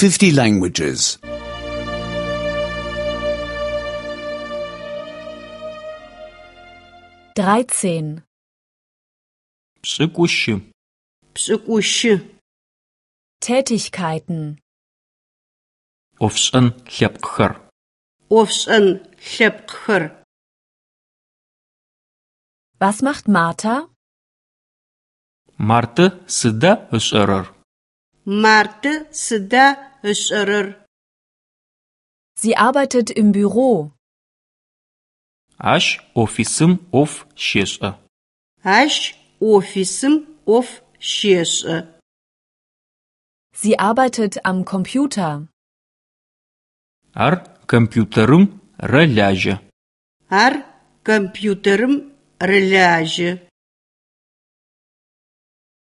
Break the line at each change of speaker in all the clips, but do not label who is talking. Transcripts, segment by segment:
50 languages.
13.
Пшӏыкӏущы.
Пшӏыкӏущы.
Tätigkeiten.
Ӏофшӏэн лъэпкъхэр.
Ӏофшӏэн лъэпкъхэр.
Was macht Martha?
Мартэ сыда ышӏэрэр?
Мартэ сыда ышӏэрэр?
Sie arbeitet im Büro.
Ащ офисым ӏоф щешӏэ.
Ащ офисым ӏоф щешӏэ.
Sie arbeitet am Computer.
Ар компьютерым рэлажьэ.
Ар компьютерым рэлажьэ.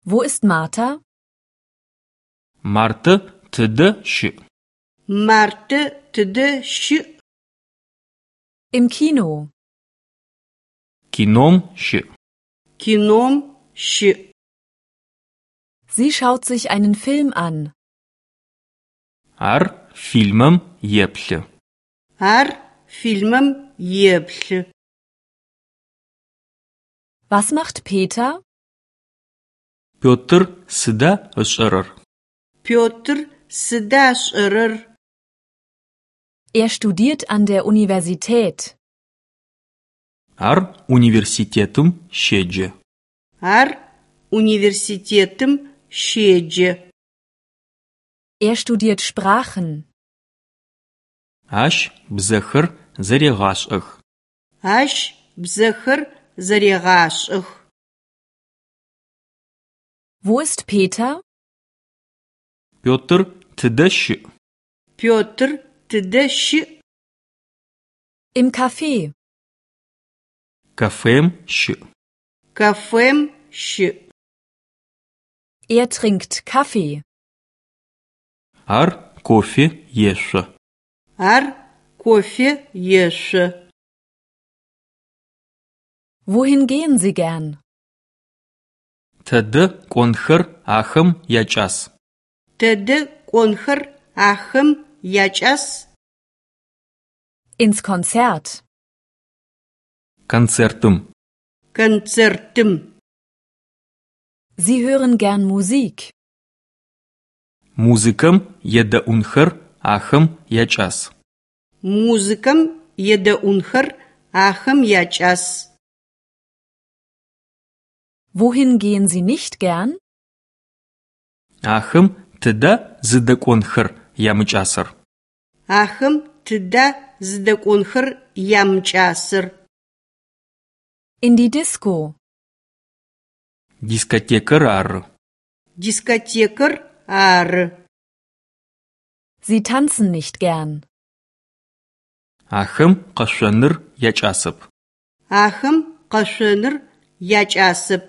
Wo ist Martha?
Мартэ тыдэ щыӏ?
Мартэ тыдэ щыӏ?
Im Kino.
Кином щыӏ.
Кином щыӏ.
Sie schaut sich einen Film an.
Ар фильмэм еплъы.
Ар фильмэм еплъы.
Was macht Peter?
Петр сыда ышӏэрэр?
Петр сыда ышӏэрэр?
Er studiert an der Universität.
Ар университетым щеджэ.
Ар университетым щеджэ.
Er studiert Sprachen.
Ащ бзэхэр зэрегъашӏэх.
Ащ бзэхэр зэрегъашӏэх.
Wo ist Peter?
Петр тыдэ щыӏ?
Петр тыдэ щыӏ?
Im Café.
Кафем щыӏ.
Кафем щыӏ.
Er trinkt Kaffee.
Ар кофе ешъо.
Ар кофе ешъо.
Wohin gehen Sie gern?
Тэдэ кӏонхэр ахэм якӏас?
Тэдэ кӏонхэр ахэм якӏас?
Ins Konzert.
Концертым.
Концертым.
Sie hören gern Musik.
Музыкэм едэӏунхэр ахэм якӏас.
Музыкэм едэӏунхэр ахэм якӏас.
Wohin gehen Sie nicht gern?
Ахэм тыда зыдэкӏонхэр ямыкӏасэр?
Ахэм тыда зыдэкӏонхэр ямыкӏасэр?
In die Disco.
Дискотекэр ары.
Дискотекэр ары.
Sie tanzen nicht gern.
Ахэм къэшъоныр якӏасэп.
Ахэм къэшъоныр якӏасэп.